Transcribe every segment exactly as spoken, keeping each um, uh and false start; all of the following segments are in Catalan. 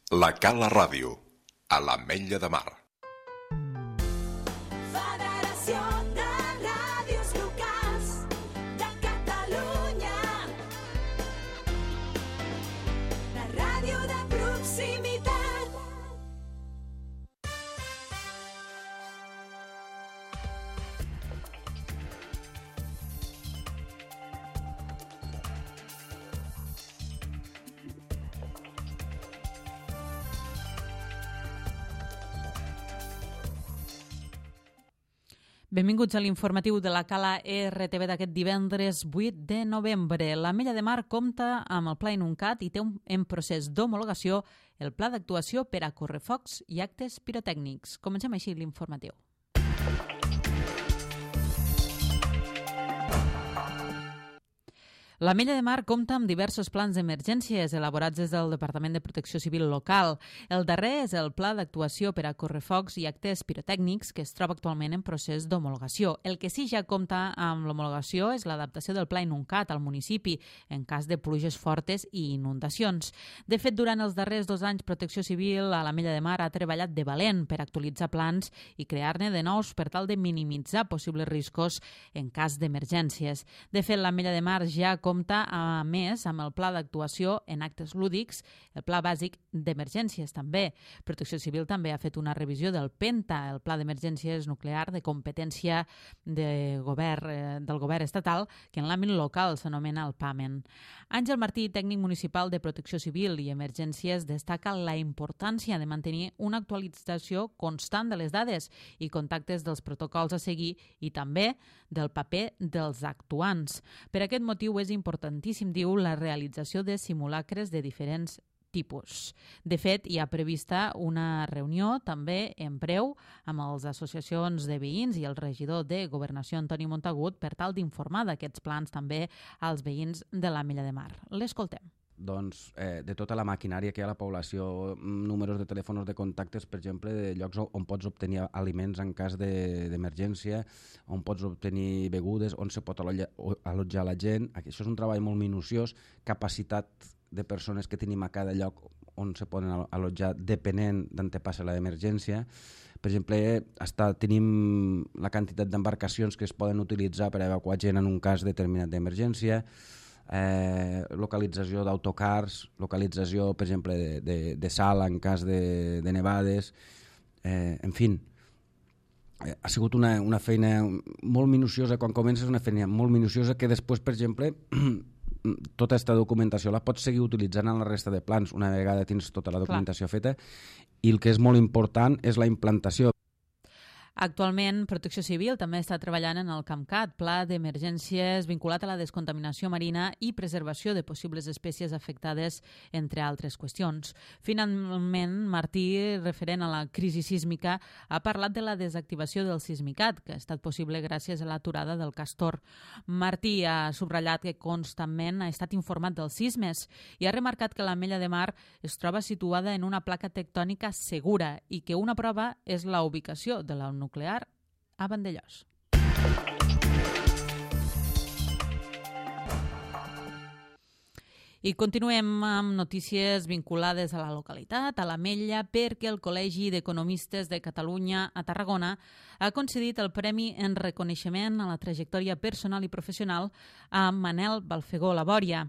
La Cala Ràdio, a l'Ametlla de Mar. Federació de Ràdios Locals de Catalunya. La ràdio de proximitat. Benvinguts a l'informatiu de la Cala R T V d'aquest divendres vuit de novembre. L'Ametlla de Mar compta amb el Pla Inuncat i té un, en procés d'homologació el Pla d'actuació per a correfocs i actes pirotècnics. Comencem així l'informatiu. L'Ametlla de Mar compta amb diversos plans d'emergències elaborats des del Departament de Protecció Civil local. El darrer és el Pla d'actuació per a correfocs i actes pirotècnics que es troba actualment en procés d'homologació. El que sí ja compta amb l'homologació és l'adaptació del Pla Inuncat al municipi en cas de pluges fortes i inundacions. De fet, durant els darrers dos anys, Protecció Civil a l'Ametlla de Mar ha treballat de valent per actualitzar plans i crear-ne de nous per tal de minimitzar possibles riscos en cas d'emergències. De fet, l'Ametlla de Mar ja compta, a més, amb el Pla d'actuació en actes lúdics, el Pla bàsic d'emergències també. Protecció Civil també ha fet una revisió del PENTA, el Pla d'emergències nuclear de competència de govern, eh, del govern estatal, que en l'àmbit local s'anomena el PAMEN. Àngel Martí, tècnic municipal de Protecció Civil i Emergències, destaca la importància de mantenir una actualització constant de les dades i contactes dels protocols a seguir i també del paper dels actuants. Per aquest motiu és importantíssim, diu, la realització de simulacres de diferents tipus. De fet, hi ha prevista una reunió també en breu amb les associacions de veïns i el regidor de Governació, Antoni Montagut, per tal d'informar d'aquests plans també als veïns de l'Ametlla de Mar. L'escoltem. Doncs, eh, de tota la maquinària que hi ha a la població, números de telèfons de contactes, per exemple, de llocs on pots obtenir aliments en cas d'emergència, de, on pots obtenir begudes, on se pot allotjar, allotjar la gent. Això és un treball molt minuciós, capacitat de persones que tenim a cada lloc on se poden allotjar depenent d'on te passa l'emergència. Per exemple, hasta tenim la quantitat d'embarcacions que es poden utilitzar per evacuar gent en un cas determinat d'emergència, eh, localització d'autocars, localització, per exemple, de, de, de sal en cas de, de nevades, eh, en fi. Eh, ha sigut una, una feina molt minuciosa, quan comences una feina molt minuciosa que després, per exemple, tota aquesta documentació la pots seguir utilitzant en la resta de plans una vegada tens tota la documentació Clar. feta, i el que és molt important és la implantació. Actualment, Protecció Civil també està treballant en el CAMCAT, Pla d'Emergències vinculat a la descontaminació marina i preservació de possibles espècies afectades, entre altres qüestions. Finalment, Martí, referent a la crisi sísmica, ha parlat de la desactivació del Sismicat, que ha estat possible gràcies a l'aturada del Castor. Martí ha subratllat que constantment ha estat informat dels sismes i ha remarcat que l'Ametlla de Mar es troba situada en una placa tectònica segura i que una prova és la ubicació de la nuclear a Vandellós. I continuem amb notícies vinculades a la localitat, a l'Ametlla, perquè el Col·legi d'Economistes de Catalunya a Tarragona ha concedit el Premi en reconeixement a la trajectòria personal i professional a Manel Balfegó Labòria.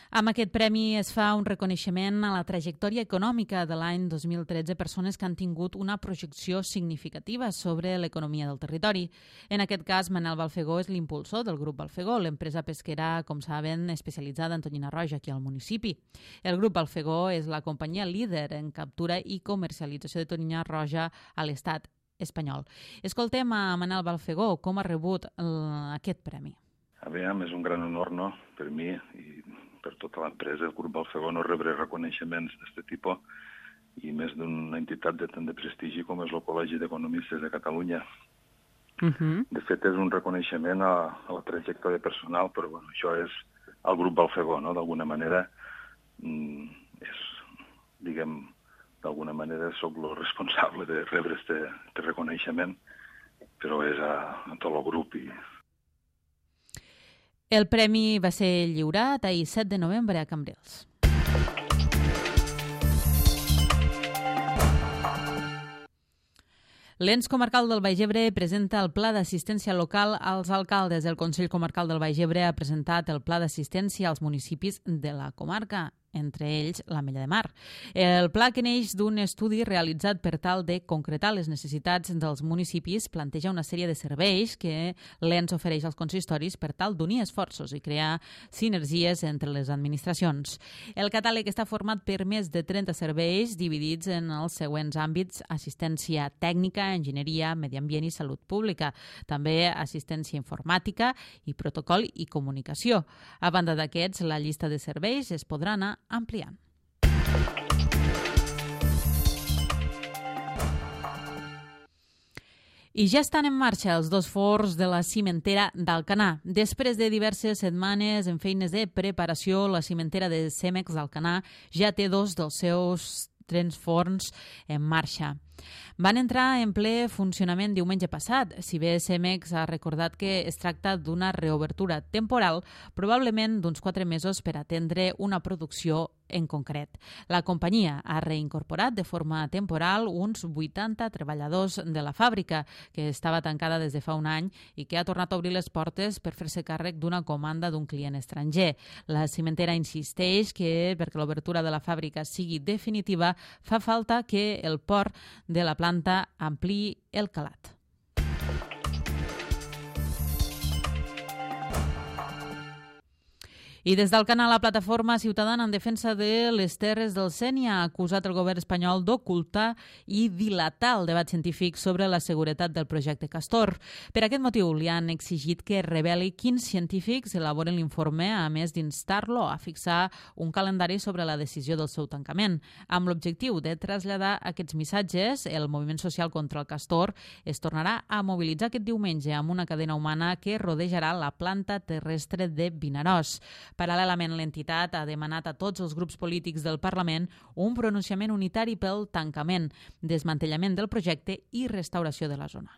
Amb aquest premi es fa un reconeixement a la trajectòria econòmica de l'any dos mil tretze, persones que han tingut una projecció significativa sobre l'economia del territori. En aquest cas, Manel Balfegó és l'impulsor del grup Balfegó, l'empresa pesquera, com saben, especialitzada en tonyina roja aquí al municipi. El grup Balfegó és la companyia líder en captura i comercialització de tonyina roja a l'estat espanyol. Escoltem a Manel Balfegó com ha rebut el, aquest premi. A veure, és un gran honor, no?, per mi i per tota l'empresa, el grup Balfegó, no rebre reconeixements d'aquest tipus i més d'una entitat de tant de prestigi com és el Col·legi d'Economistes de Catalunya. Uh-huh. De fet, és un reconeixement a, a la trajectòria personal, però bueno, això és el grup Balfegó, no? D'alguna manera, és, diguem, d'alguna manera soc el responsable de rebre aquest reconeixement, però és a, a tot el grup i El premi va ser lliurat ahir set de novembre a Cambrils. L'Ens Comarcal del Baix Ebre presenta el Pla d'Assistència Local als alcaldes. El Consell Comarcal del Baix Ebre ha presentat el Pla d'Assistència als municipis de la comarca, entre ells l'Ametlla de Mar. El pla, que neix d'un estudi realitzat per tal de concretar les necessitats dels municipis, planteja una sèrie de serveis que l'Ens ofereix als consistoris per tal d'unir esforços i crear sinergies entre les administracions. El catàleg està format per més de trenta serveis dividits en els següents àmbits: assistència tècnica, enginyeria, medi ambient i salut pública, també assistència informàtica i protocol i comunicació. A banda d'aquests, la llista de serveis es podrà anar ampliant. I ja estan en marxa els dos forns de la cimentera d'Alcanar. Després de diverses setmanes en feines de preparació, la cimentera de Cemex d'Alcanar ja té dos dels seus tres forns en marxa. Van entrar en ple funcionament diumenge passat. Si bé Cemex ha recordat que es tracta d'una reobertura temporal, probablement d'uns quatre mesos per atendre una producció en concret. La companyia ha reincorporat de forma temporal uns vuitanta treballadors de la fàbrica, que estava tancada des de fa un any i que ha tornat a obrir les portes per fer-se càrrec d'una comanda d'un client estranger. La cimentera insisteix que, perquè l'obertura de la fàbrica sigui definitiva, fa falta que el port de la planta ampliï el calat. I des del canal la plataforma ciutadana en defensa de les terres del Sénia ha acusat el govern espanyol d'ocultar i dilatar el debat científic sobre la seguretat del projecte Castor. Per aquest motiu li han exigit que reveli quins científics elaboren l'informe, a més d'instar-lo a fixar un calendari sobre la decisió del seu tancament. Amb l'objectiu de traslladar aquests missatges, el moviment social contra el Castor es tornarà a mobilitzar aquest diumenge amb una cadena humana que rodejarà la planta terrestre de Vinaròs. Paral·lelament, l'entitat ha demanat a tots els grups polítics del Parlament un pronunciament unitari pel tancament, desmantellament del projecte i restauració de la zona.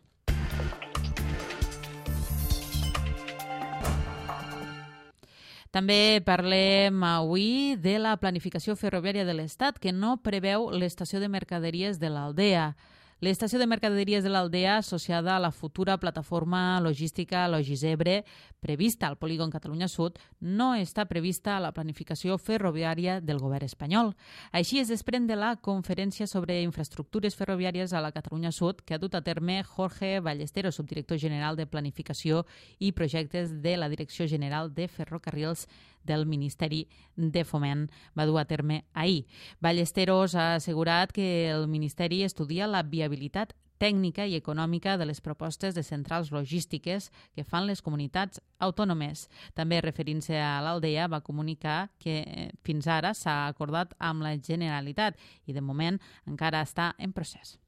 També parlem avui de la planificació ferroviària de l'Estat, que no preveu l'estació de mercaderies de l'Aldea. L'estació de mercaderies de l'Aldea, associada a la futura plataforma logística Logisebre, prevista al polígon Catalunya Sud, no està prevista a la planificació ferroviària del govern espanyol. Així es desprèn de la conferència sobre infraestructures ferroviàries a la Catalunya Sud que ha dut a terme Jorge Ballesteros, subdirector general de Planificació i Projectes de la Direcció General de Ferrocarrils del Ministeri de Foment. Va dur a terme ahir. Ballesteros ha assegurat que el Ministeri estudia la viabilitat tècnica i econòmica de les propostes de centrals logístiques que fan les comunitats autònomes. També, referint-se a l'Aldea, va comunicar que fins ara s'ha acordat amb la Generalitat i de moment encara està en procés.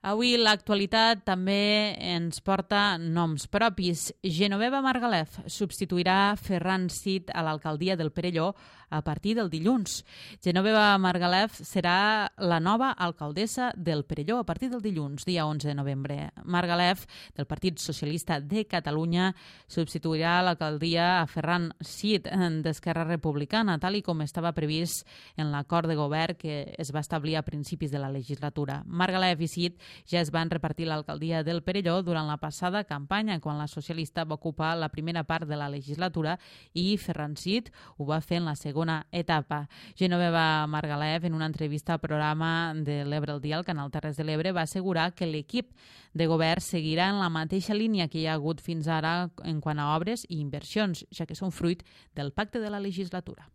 Avui l'actualitat també ens porta noms propis. Genoveva Margalef substituirà Ferran Cid a l'alcaldia del Perelló a partir del dilluns. Genoveva Margalef serà la nova alcaldessa del Perelló a partir del dilluns, dia onze de novembre. Margalef, del Partit Socialista de Catalunya, substituirà l'alcaldia a Ferran Cid d'Esquerra Republicana, tal i com estava previst en l'acord de govern que es va establir a principis de la legislatura. Margalef i Cid ja es van repartir l'alcaldia del Perelló durant la passada campanya, quan la socialista va ocupar la primera part de la legislatura i Ferran Cid ho va fer en la segona etapa. Genoveva Margalef, en una entrevista al programa de l'Ebre al dia al Canal Terres de l'Ebre, va assegurar que l'equip de govern seguirà en la mateixa línia que hi ha hagut fins ara en quant a obres i inversions, ja que són fruit del pacte de la legislatura.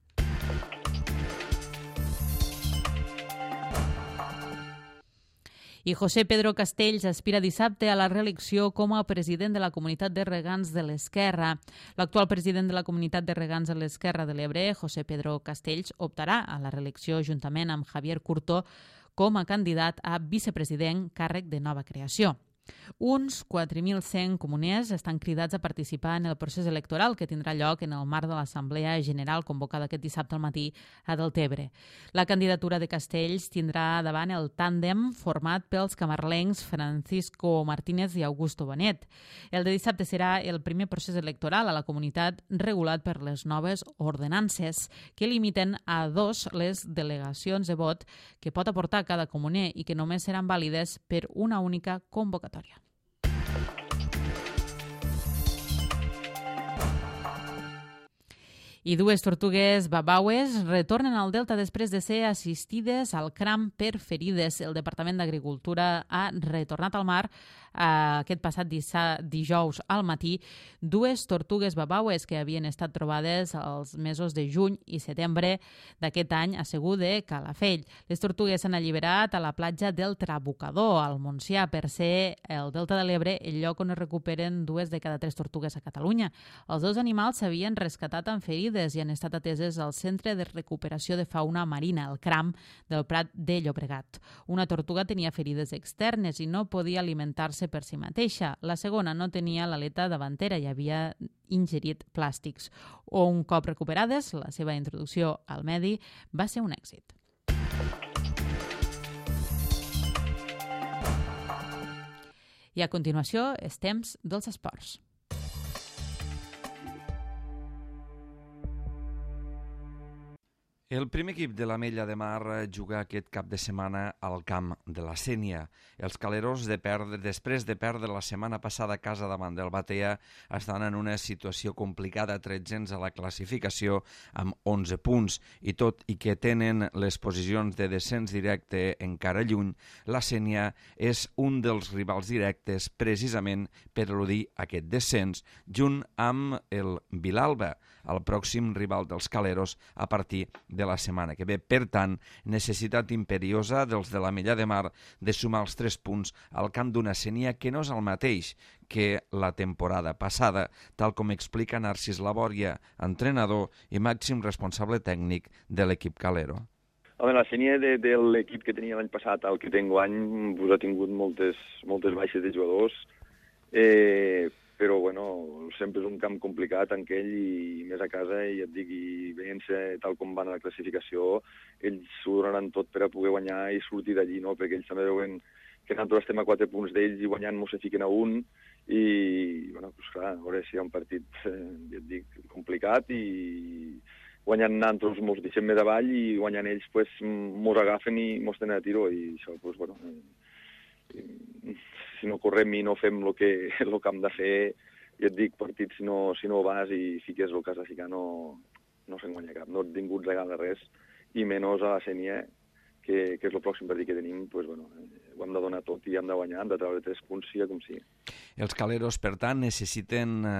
I José Pedro Castells aspira dissabte a la reelecció com a president de la Comunitat de Regants de l'Esquerra. L'actual president de la Comunitat de Regants de l'Esquerra de l'Ebre, José Pedro Castells, optarà a la reelecció juntament amb Javier Curto com a candidat a vicepresident, càrrec de nova creació. Uns quatre mil cent comuners estan cridats a participar en el procés electoral que tindrà lloc en el marc de l'Assemblea General convocada aquest dissabte al matí a Deltebre. La candidatura de Castells tindrà davant el tàndem format pels camarlencs Francisco Martínez i Augusto Bonet. El de dissabte serà el primer procés electoral a la comunitat regulat per les noves ordenances que limiten a dos les delegacions de vot que pot aportar cada comuner i que només seran vàlides per una única convocatòria. I dues tortugues babaues retornen al Delta després de ser assistides al cram per ferides. El Departament d'Agricultura ha retornat al mar eh, aquest passat dijous al matí dues tortugues babaues que havien estat trobades els mesos de juny i setembre d'aquest any a Segur de Calafell. Les tortugues s'han alliberat a la platja del Trabucador, al Montsià, per ser el Delta de l'Ebre el lloc on es recuperen dues de cada tres tortugues a Catalunya. Els dos animals s'havien rescatat amb ferides i han estat ateses al Centre de Recuperació de Fauna Marina, el CRAM, del Prat de Llobregat. Una tortuga tenia ferides externes i no podia alimentar-se per si mateixa. La segona no tenia l'aleta davantera i havia ingerit plàstics. Un cop recuperades, la seva introducció al medi va ser un èxit. I a continuació, és temps dels esports. El primer equip de l'Ametlla de Mar juga aquest cap de setmana al camp de la Sénia. Els caleros, de perdre, després de perdre la setmana passada a casa davant del Batea, estan en una situació complicada, tretzens a la classificació amb onze punts. I tot i que tenen les posicions de descens directe encara lluny, la Sénia és un dels rivals directes precisament per eludir aquest descens, junt amb el Vilalba, el pròxim rival dels caleros a partir de la setmana que ve. Per tant, necessitat imperiosa dels de l'Ametlla de Mar de sumar els tres punts al camp d'una Sénia que no és el mateix que la temporada passada, tal com explica Narcís Labòria, entrenador i màxim responsable tècnic de l'equip calero. Home, la Sénia de, de l'equip que tenia l'any passat al que té enguany pues, ha tingut moltes, moltes baixes de jugadors, eh, però bueno, sempre és un camp complicat en aquell i més a casa, i et dic, i veient-se tal com van a la classificació, ells s'ho donaran tot per a poder guanyar i sortir d'allí, no? Perquè ells també veuen que nosaltres estem a quatre punts d'ells i guanyant mos se fiquen a un, i bueno, pues clar, a veure si hi ha un partit, eh, ja et dic, complicat, i guanyant nosaltres mos deixem més avall i guanyant ells pues, mos agafen i mos tenen a tiro, i això, pues, bueno, eh, si no correm i no fem el que, el que hem de fer, ja et dic, partit, si no, si no vas i fiques el que has de ficar, no, no se'n guanya cap. No ningú et regala res, i menys a la Sénia, que, que és el pròxim partit que tenim, pues, bueno, eh, ho hem de donar tot i hem de guanyar, hem de treure tres punts, sigui com sigui. Els caleros, per tant, necessiten eh,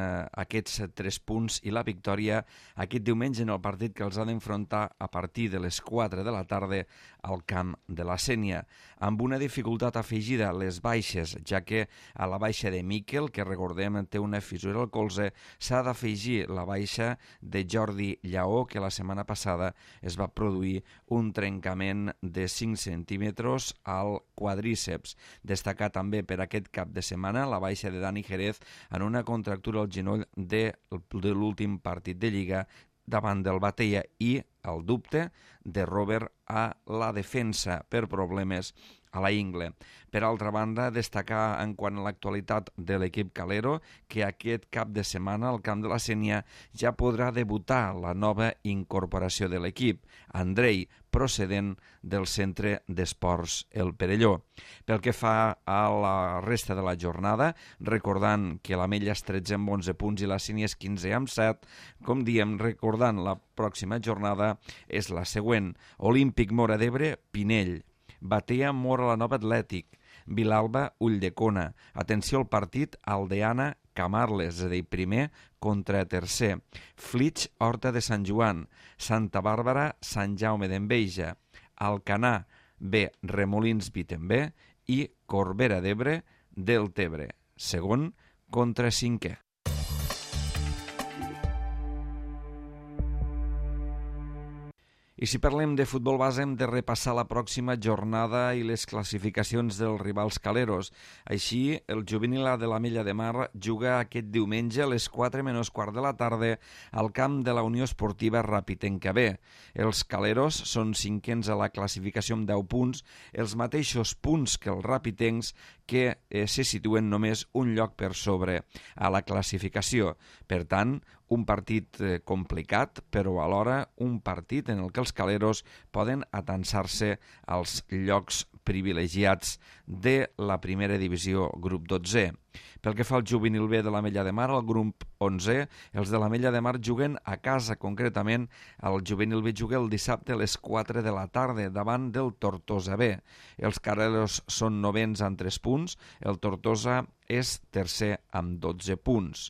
aquests tres punts i la victòria aquest diumenge en el partit que els ha d'enfrontar a partir de les quatre de la tarda al camp de la Sénia, amb una dificultat afegida, les baixes, ja que a la baixa de Miquel, que recordem té una fissura al colze, s'ha d'afegir la baixa de Jordi Lleó, que la setmana passada es va produir un trencament de cinc centímetres al quadríceps. Destacar també per aquest cap de setmana la baixa de Dani Jerez en una contractura al genoll de, de l'últim partit de Lliga davant del Batea, i el dubte de Robert a la defensa per problemes a la ingle. Per altra banda, destacar en quant a l'actualitat de l'equip calero que aquest cap de setmana al camp de la Sénia ja podrà debutar la nova incorporació de l'equip, Andrei, procedent del Centre d'Esports El Perelló. Pel que fa a la resta de la jornada, recordant que l'Ametlla és tretze amb onze punts i la Sénia és quinze amb set, com diem, recordant la pròxima jornada és la següent: Olímpic Móra d'Ebre, Pinell; Batea, Móra la Nova Atlètic; Vilalba, Ulldecona. Atenció al partit, Aldeana, Camarles, és a dir, primer contra tercer; Flix, Horta de Sant Joan; Santa Bàrbara, Sant Jaume d'Enveja; Alcanar, B, Remolins, Vitembé; i Corbera d'Ebre, Deltebre, segon contra cinquè. I I si parlem de futbol base hem de repassar la pròxima jornada i les classificacions dels rivals caleros. Així, el juvenil A de l'Ametlla de Mar juga aquest diumenge a les quatre menys quart de la tarda al camp de la Unió Esportiva Ràpitenca B. Els caleros són cinquens a la classificació amb deu punts, els mateixos punts que els ràpitencs, que eh, se situen només un lloc per sobre a la classificació. Per tant, un partit eh, complicat, però alhora un partit en el que els caleros poden atansar-se als llocs privilegiats de la primera divisió grup dotze. Pel que fa al juvenil B de l'Ametlla de Mar, al grup onze, els de l'Ametlla de Mar juguen a casa, concretament el juvenil B juga el dissabte a les quatre de la tarda davant del Tortosa B. Els caleros són novens amb tres punts, el Tortosa és tercer amb dotze punts.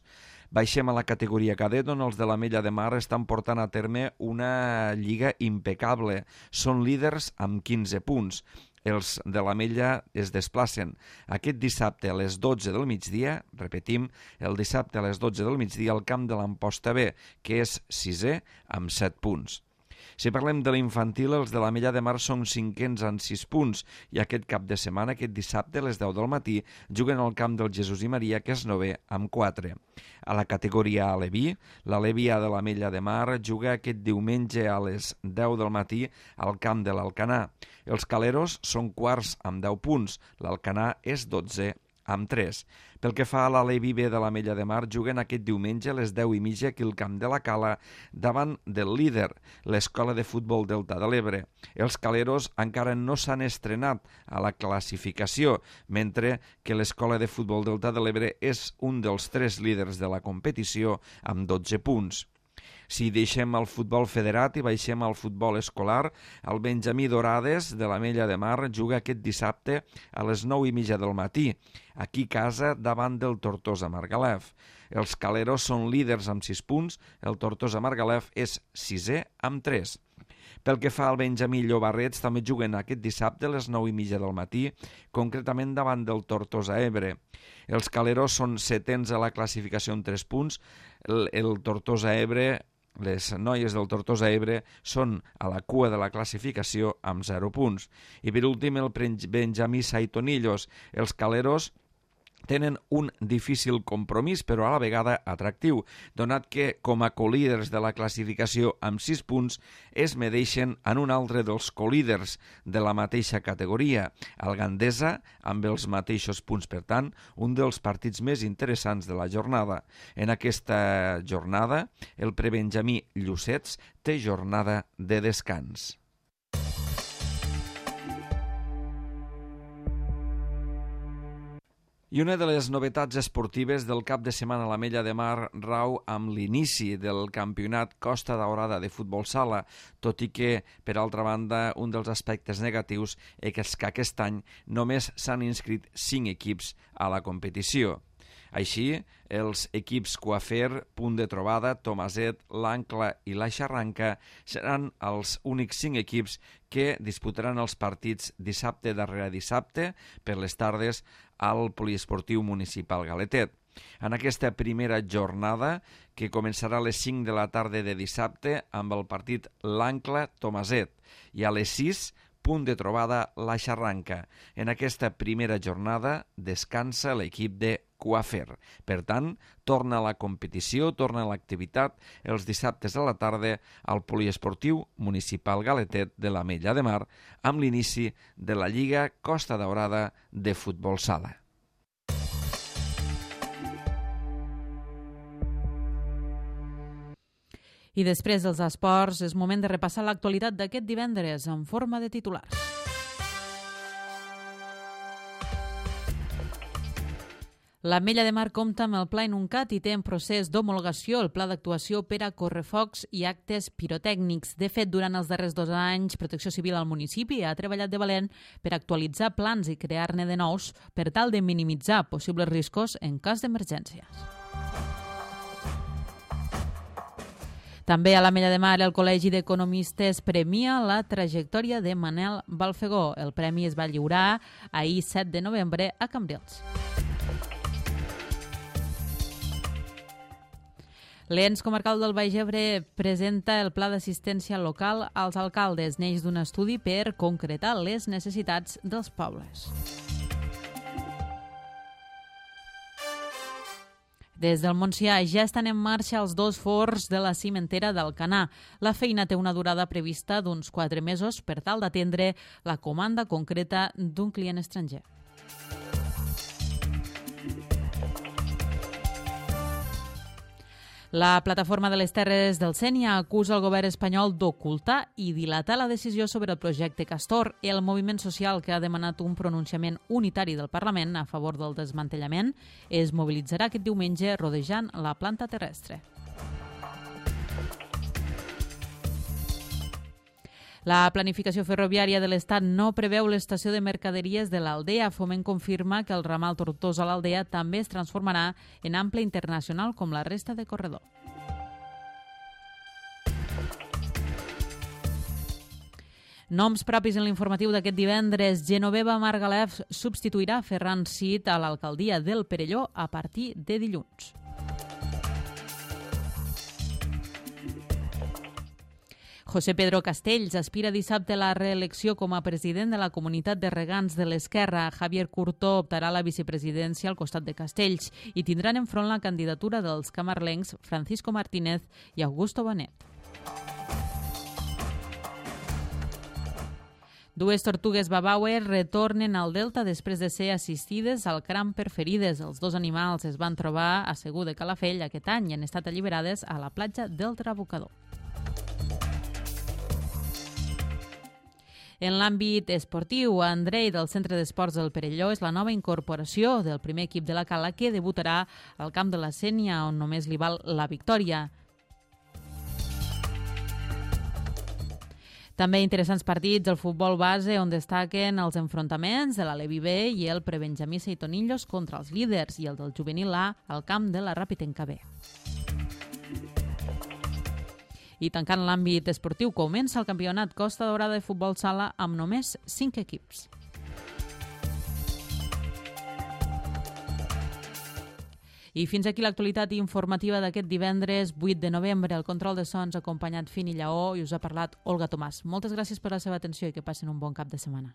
Baixem a la categoria cadet, on els de l'Ametlla de Mar estan portant a terme una lliga impecable. Són líders amb quinze punts. Els de l'Ametlla es desplacen aquest dissabte a les dotze del migdia, repetim, el dissabte a les dotze del migdia al camp de l'Amposta B, que és sisè amb set punts. Si parlem de l'infantil, els de l'Ametlla de Mar són cinquens amb sis punts i aquest cap de setmana, aquest dissabte a les deu del matí, juguen al camp del Jesús i Maria, que és novè amb quatre. A la categoria Aleví, l'Aleví A de l'Ametlla de Mar juga aquest diumenge a les deu del matí al camp de l'Alcanar. Els caleros són quarts amb deu punts, l'Alcanar és dotze amb tres. Pel que fa a l'Aleví B de l'Ametlla de Mar, juguen aquest diumenge a les deu i mitja aquí al camp de la Cala davant del líder, l'Escola de Futbol Delta de l'Ebre. Els caleros encara no s'han estrenat a la classificació, mentre que l'Escola de Futbol Delta de l'Ebre és un dels tres líders de la competició amb dotze punts. Si deixem el futbol federat i baixem al futbol escolar, el Benjamí Dorades de l'Ametlla de Mar juga aquest dissabte a les nou i mitja del matí, aquí a casa davant del Tortosa Margalef. Els caleros són líders amb sis punts, el Tortosa Margalef és sisè amb tres. Pel que fa al Benjamí Llobarrets, també juguen aquest dissabte a les nou i mitja del matí, concretament davant del Tortosa Ebre. Els caleros són setens a la classificació amb tres punts, el, el Tortosa Ebre, les noies del Tortosa Ebre són a la cua de la classificació amb zero punts. I per últim el Benjamí Saitonillos, els caleros tenen un difícil compromís, però a la vegada atractiu, donat que, com a colíders de la classificació amb sis punts, es medeixen en un altre dels colíders de la mateixa categoria, el Gandesa, amb els mateixos punts. Per tant, un dels partits més interessants de la jornada. En aquesta jornada, el prebenjamí Llucets té jornada de descans. I una de les novetats esportives del cap de setmana a l'Ametlla de Mar rau amb l'inici del campionat Costa Daurada de futbol sala, tot i que, per altra banda, un dels aspectes negatius és que aquest any només s'han inscrit cinc equips a la competició. Així, els equips Coafer, Punt de Trobada, Tomaset, l'Ancla i la Xarranca seran els únics cinc equips que disputaran els partits dissabte darrere dissabte per les tardes al Poliesportiu Municipal Galetet. En aquesta primera jornada, que començarà a les cinc de la tarda de dissabte amb el partit l'Ancla-Tomaset i a les sis, Punt de Trobada, la Xarranca. En aquesta primera jornada descansa l'equip de Coafer. Per tant, torna a la competició, torna a l'activitat els dissabtes a la tarda al Poliesportiu Municipal Galetet de l'Ametlla de Mar amb l'inici de la Lliga Costa Daurada de futbol sala. I després dels esports, és moment de repassar l'actualitat d'aquest divendres en forma de titulars. L'Ametlla de Mar compta amb el Pla Inuncat i té en procés d'homologació el Pla d'actuació per a correfocs i actes pirotècnics. De fet, durant els darrers dos anys, Protecció Civil al municipi ha treballat de valent per actualitzar plans i crear-ne de nous per tal de minimitzar possibles riscos en cas d'emergències. També a l'Ametlla de Mar el Col·legi d'Economistes premia la trajectòria de Manel Balfegó. El premi es va lliurar ahir set de novembre a Cambrils. L'Ens Comarcal del Baix Ebre presenta el pla d'assistència local als alcaldes. Neix d'un estudi per concretar les necessitats dels pobles. Des del Montsià ja estan en marxa els dos forns de la cimentera d'Alcanar. La feina té una durada prevista d'uns quatre mesos per tal d'atendre la comanda concreta d'un client estranger. La plataforma de les Terres del Sénia acusa el govern espanyol d'ocultar i dilatar la decisió sobre el projecte Castor. El moviment social, que ha demanat un pronunciament unitari del Parlament a favor del desmantellament, es mobilitzarà aquest diumenge rodejant la planta terrestre. La planificació ferroviària de l'Estat no preveu l'estació de mercaderies de l'Aldea. Foment confirma que el ramal Tortosa a l'Aldea també es transformarà en ample internacional com la resta de corredor. Noms propis en l'informatiu d'aquest divendres. Genoveva Margalef substituirà Ferran Cid a l'alcaldia del Perelló a partir de dilluns. José Pedro Castells aspira dissabte a la reelecció com a president de la Comunitat de Regants de l'Esquerra. Javier Curto optarà a la vicepresidència al costat de Castells i tindran enfront la candidatura dels camarlencs Francisco Martínez i Augusto Bonet. Dues tortugues babauer retornen al Delta després de ser assistides al cram per ferides. Els dos animals es van trobar a Segur de Calafell aquest any i han estat alliberades a la platja del Trabucador. En l'àmbit esportiu, Andrei del Centre d'Esports del Perelló és la nova incorporació del primer equip de la Cala que debutarà al camp de la Sénia, on només li val la victòria. També interessants partits del futbol base, on destaquen els enfrontaments de l'Alevi B i el Prebenjamí Seitonillos contra els líders i el del Juvenil A al camp de la Ràpitenca B. I tancant l'àmbit esportiu, comença el campionat Costa Daurada de futbol sala amb només cinc equips. I fins aquí l'actualitat informativa d'aquest divendres vuit de novembre. El control de sons acompanyat Fini Lleó i us ha parlat Olga Tomàs. Moltes gràcies per la seva atenció i que passin un bon cap de setmana.